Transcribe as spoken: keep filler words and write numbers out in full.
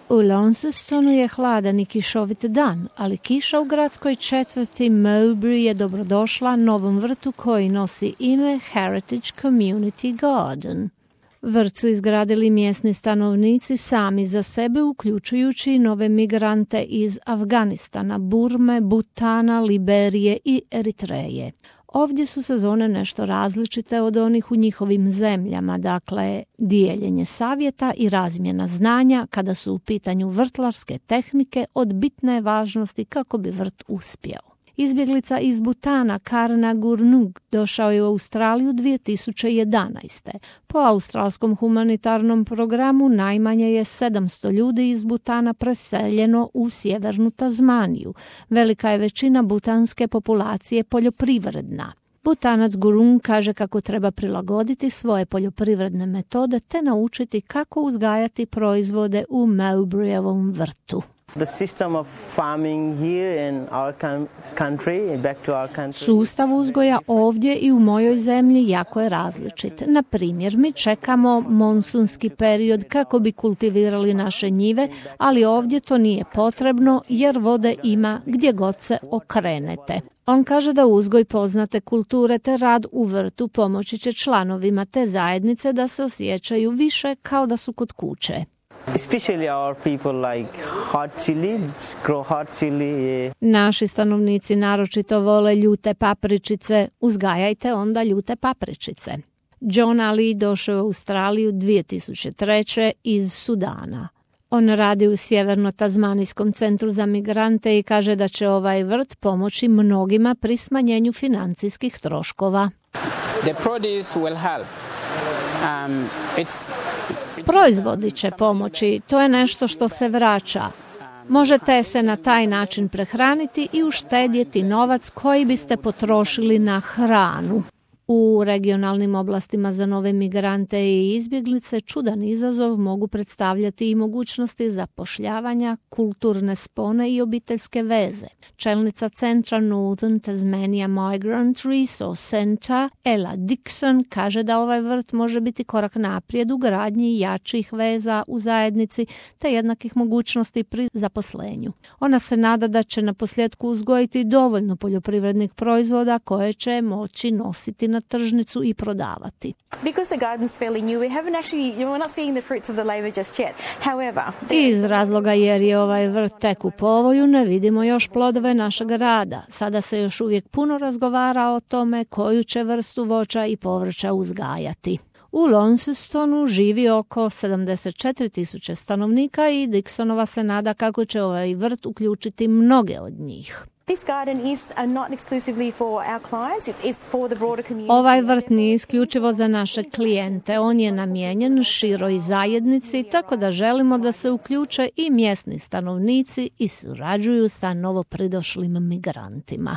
U Launcestonu je hladan i kišovit dan, ali kiša u gradskoj četvrti Mowbray je dobrodošla novom vrtu koji nosi ime Heritage Community Garden. Vrt su izgradili mjesni stanovnici sami za sebe, uključujući nove migrante iz Afganistana, Burme, Butana, Liberije i Eritreje. Ovdje su sezone nešto različite od onih u njihovim zemljama, dakle dijeljenje savjeta i razmjena znanja kada su u pitanju vrtlarske tehnike od bitne važnosti kako bi vrt uspjeo. Izbjeglica iz Butana Karna Gurnug došao je u Australiju dvije tisuće jedanaeste. Po australskom humanitarnom programu najmanje je sedamsto ljudi iz Butana preseljeno u sjevernu Tazmaniju. Velika je većina butanske populacije poljoprivredna. Butanac Gurung kaže kako treba prilagoditi svoje poljoprivredne metode te naučiti kako uzgajati proizvode u Mowbrayovom vrtu. The system of farming here in our country, back to our country. Sustav uzgoja ovdje i u mojoj zemlji jako je različit. Na primjer, mi čekamo monsunski period kako bi kultivirali naše njive, ali ovdje to nije potrebno jer vode ima gdje god se okrenete. On kaže da uzgoj poznate kulture te rad u vrtu pomoći će članovima te zajednice da se osjećaju više kao da su kod kuće. Especially our people like hot chili, grow hot chili. Naši stanovnici naročito vole ljute papričice, uzgajajte onda ljute papričice. John Ali došao u Australiju dvije tisuće treće. iz Sudana. On radi u Sjeverno-Tazmanijskom centru za migrante i kaže da će ovaj vrt pomoći mnogima pri smanjenju financijskih troškova. The produce will help. Um, it's Proizvodi će pomoći, to je nešto što se vraća. Možete se na taj način prehraniti i uštedjeti novac koji biste potrošili na hranu. U regionalnim oblastima za nove migrante i izbjeglice čudan izazov mogu predstavljati i mogućnosti zapošljavanja, kulturne spone i obiteljske veze. Čelnica centra Northern Tasmania Migrant Resource Centre, Ella Dixon, kaže da ovaj vrt može biti korak naprijed u gradnji jačih veza u zajednici te jednakih mogućnosti pri zaposlenju. Ona se nada da će na posljedku uzgojiti dovoljno poljoprivrednih proizvoda koje će moći nositi na tržnicu i prodavati. Because the garden's fairly new, we haven't actually, we're not seeing the fruits of the labor just yet. However, iz razloga jer je ovaj vrt tek u povoju, ne vidimo još plodove našeg rada. Sada se još uvijek puno razgovara o tome koju će vrstu voća i povrća uzgajati. U Launcestonu živi oko sedamdeset četiri tisuće stanovnika i Dixonova se nada kako će ovaj vrt uključiti mnoge od njih. This garden is not exclusively for our clients, it's for the broader community. Ovaj vrt nije isključivo za naše klijente, on je namijenjen široj zajednici, tako da želimo da se uključe i mjesni stanovnici i surađuju sa novopridošlim migrantima.